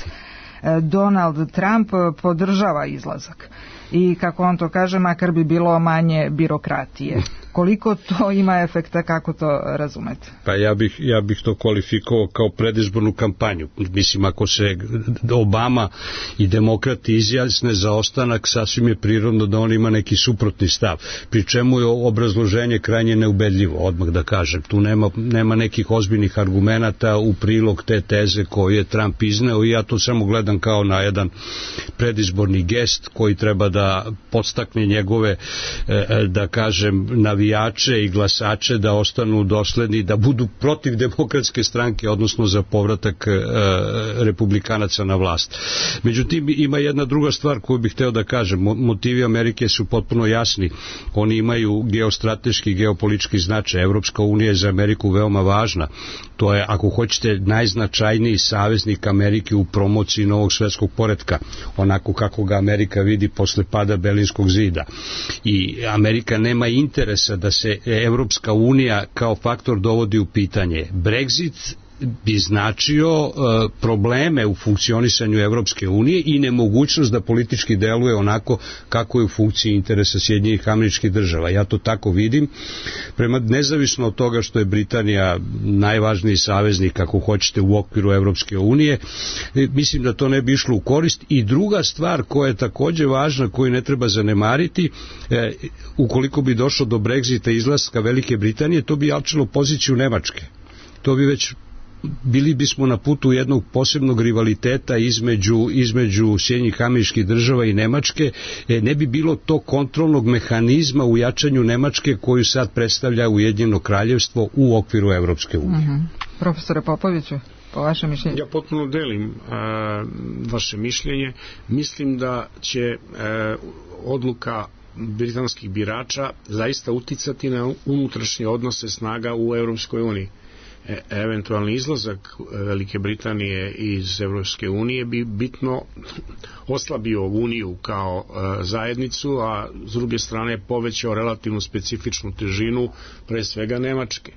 Donald Trump podržava izlazak i kako on to kaže, makar bi bilo manje birokratije. Koliko to ima efekta, kako to razumete? Pa ja bih to kvalifikovao kao predizbornu kampanju. Mislim, ako se Obama i demokrati izjasne za ostanak, sasvim je prirodno da on ima neki suprotni stav. Pri čemu je obrazloženje krajnje neubedljivo, odmah da kažem. Tu nema nekih ozbiljnih argumenata u prilog te teze koju je Trump izneo i ja to samo gledam kao na jedan predizborni gest koji treba da podstakne njegove, da kažem, navijače i glasače da ostanu dosledni, da budu protiv demokratske stranke, odnosno za povratak republikanaca na vlast. Međutim, ima jedna druga stvar koju bih hteo da kažem. Motivi Amerike su potpuno jasni. Oni imaju geostrateški, geopolitički značaj. Evropska unija je za Ameriku veoma važna. To je, ako hoćete, najznačajniji saveznik Amerike u promociji novog svetskog poretka, onako kako ga Amerika vidi posle pada Berlinskog zida. I Amerika nema interesa da se Evropska unija kao faktor dovodi u pitanje. Brexit bi značio probleme u funkcionisanju Evropske unije i nemogućnost da politički deluje onako kako je u funkciji interesa Sjedinjenih Američkih Država. Ja to tako vidim. Nezavisno od toga što je Britanija najvažniji saveznik, ako hoćete, u okviru Evropske unije, mislim da to ne bi išlo u korist. I druga stvar koja je takođe važna, koju ne treba zanemariti, ukoliko bi došlo do Brexita i izlaska Velike Britanije, to bi jačalo poziciju Nemačke. To bi već bili bismo na putu jednog posebnog rivaliteta između Sjedinjenih Američkih Država i Nemačke. Ne bi bilo to kontrolnog mehanizma u jačanju Nemačke koju sad predstavlja Ujedinjeno kraljevstvo u okviru Evropske unije. Profesore Popoviću, po vašem mišljenju? Ja potpuno delim vaše mišljenje. Mislim da će odluka britanskih birača zaista uticati na unutrašnje odnose snaga u Europskoj uniji. Eventualni izlazak Velike Britanije iz Evropske unije bi bitno oslabio Uniju kao zajednicu, a s druge strane povećao relativnu specifičnu težinu pre svega Nemačke.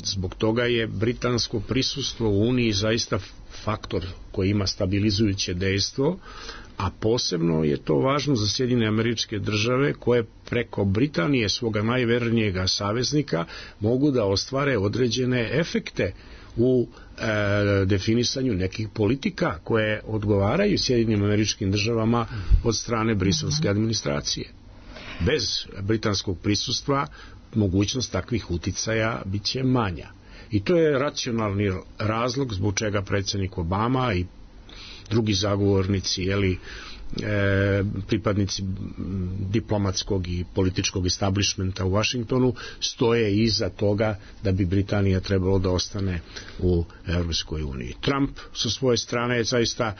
Zbog toga je britansko prisustvo u Uniji zaista faktor koji ima stabilizujuće dejstvo, a posebno je to važno za Sjedinjene Američke Države koje preko Britanije, svoga najvernijega saveznika, mogu da ostvare određene efekte u definisanju nekih politika koje odgovaraju Sjedinjenim Američkim Državama od strane briselske administracije. Bez britanskog prisustva mogućnost takvih uticaja bit će manja. I to je racionalni razlog zbog čega predsjednik Obama i drugi zagovornici, pripadnici diplomatskog i političkog establishmenta u Washingtonu stoje iza toga da bi Britanija trebalo da ostane u Europskoj uniji. Trump sa svoje strane zaista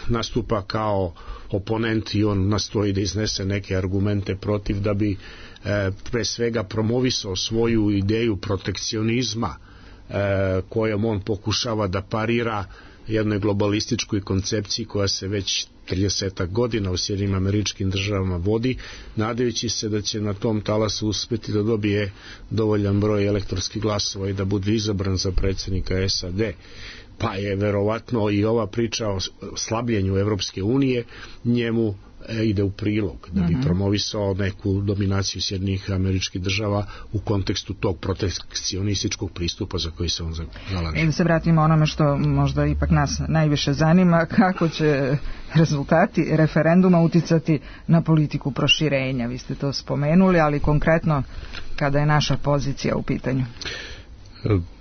nastupa kao oponent i on nastoji da iznese neke argumente protiv da bi pre svega promovisao svoju ideju protekcionizma kojom on pokušava da parira jednoj globalističkoj koncepciji koja se već 30 godina u Sjedinjenim Američkim Državama vodi, nadajući se da će na tom talasu uspeti da dobije dovoljan broj elektorskih glasova i da bude izabran za predsjednika SAD. Pa je verovatno i ova priča o slabljenju Evropske unije njemu ide u prilog, da bi promovisao neku dominaciju Sjedinjenih Američkih Država u kontekstu tog protekcionističkog pristupa za koji se on zalaže. Da se vratimo onome što možda ipak nas najviše zanima, kako će rezultati referenduma uticati na politiku proširenja. Vi ste to spomenuli, ali konkretno kada je naša pozicija u pitanju?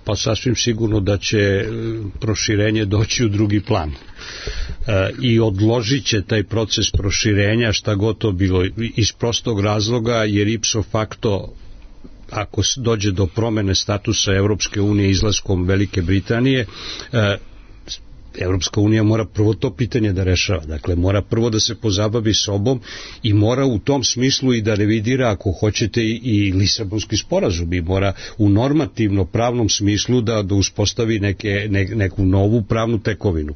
Pa sasvim sigurno da će proširenje doći u drugi plan i odložit će taj proces proširenja šta god to bilo iz prostog razloga jer ipso facto ako dođe do promene statusa Evropske unije izlaskom Velike Britanije, Evropska unija mora prvo to pitanje da rešava. Dakle, mora prvo da se pozabavi sobom i mora u tom smislu i da revidira, ako hoćete, i Lisabonski sporazum i mora u normativno pravnom smislu da uspostavi neku novu pravnu tekovinu.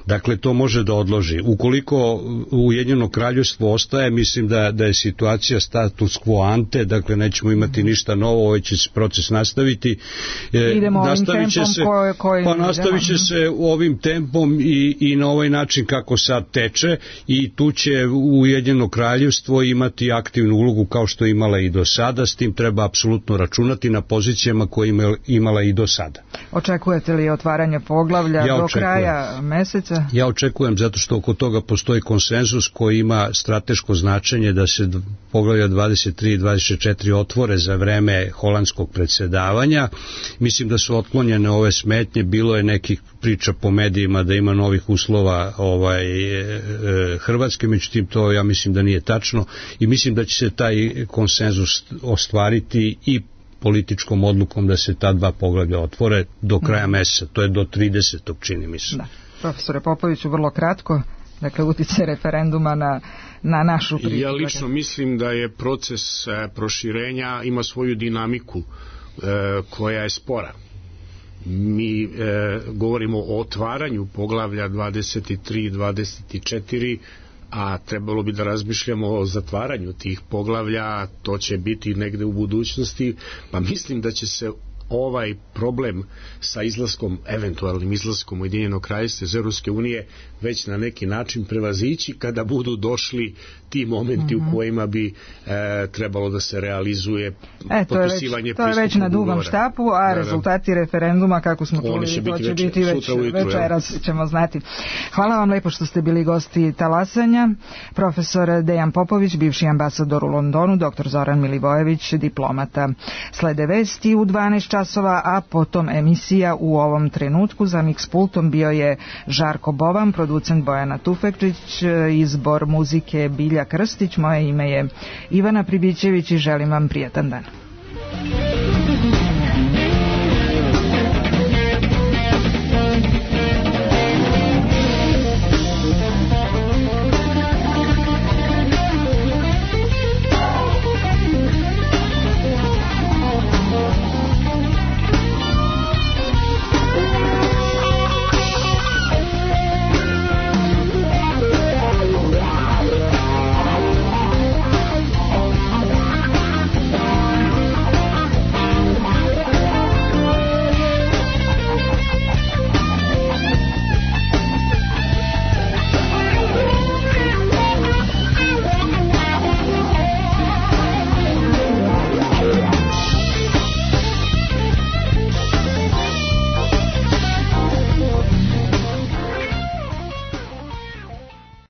Dakle, to može da odloži. Ukoliko Ujedinjeno Kraljevstvo ostaje, mislim da je situacija status quo ante, dakle, nećemo imati ništa novo, ovaj će se proces nastaviti. Idemo ovim tempom nastavit će se ovim tempom i na ovaj način kako sad teče i tu će Ujedinjeno Kraljevstvo imati aktivnu ulogu kao što je imala i do sada, s tim treba apsolutno računati na pozicijama koje je imala i do sada. Očekujete li otvaranje poglavlja do kraja meseca? Ja očekujem zato što oko toga postoji konsenzus koji ima strateško značenje da se poglavlja 23 i 24 otvore za vreme holandskog predsjedavanja. Mislim da su otklonjene ove smetnje, bilo je nekih priča po medijima da ima novih uslova Hrvatske, međutim to ja mislim da nije tačno i mislim da će se taj konsenzus ostvariti i političkom odlukom da se ta dva poglavlja otvore do kraja meseca, to je do 30. čini mi se. Da. Profesore Popoviću, vrlo kratko, dakle uticaj referenduma na našu priču. Ja lično mislim da je proces proširenja ima svoju dinamiku koja je spora. Mi govorimo o otvaranju poglavlja 23 i 24, a trebalo bi da razmišljamo o zatvaranju tih poglavlja, to će biti negde u budućnosti, pa mislim da će se ovaj problem sa izlaskom, eventualnim izlaskom Ujedinjenog Kraljevstva iz Europske unije već na neki način prevazići kada budu došli ti momenti u kojima bi trebalo da se realizuje potpisivanje to je već na dugom štapu, a rezultati referenduma, kako smo čuli, to će biti već večeras ćemo znati. Hvala vam lepo što ste bili gosti talasanja. Profesor Dejan Popović, bivši ambasador u Londonu, dr. Zoran Milivojević, diplomata. Slede vesti u 12 časova, a potom emisija U ovom trenutku. Za mix pultom bio je Žarko Boban, producent Bojana Tufekčić, izbor muzike Bilja Krstić. Moje ime je Ivana Pribićević i želim vam prijatan dan.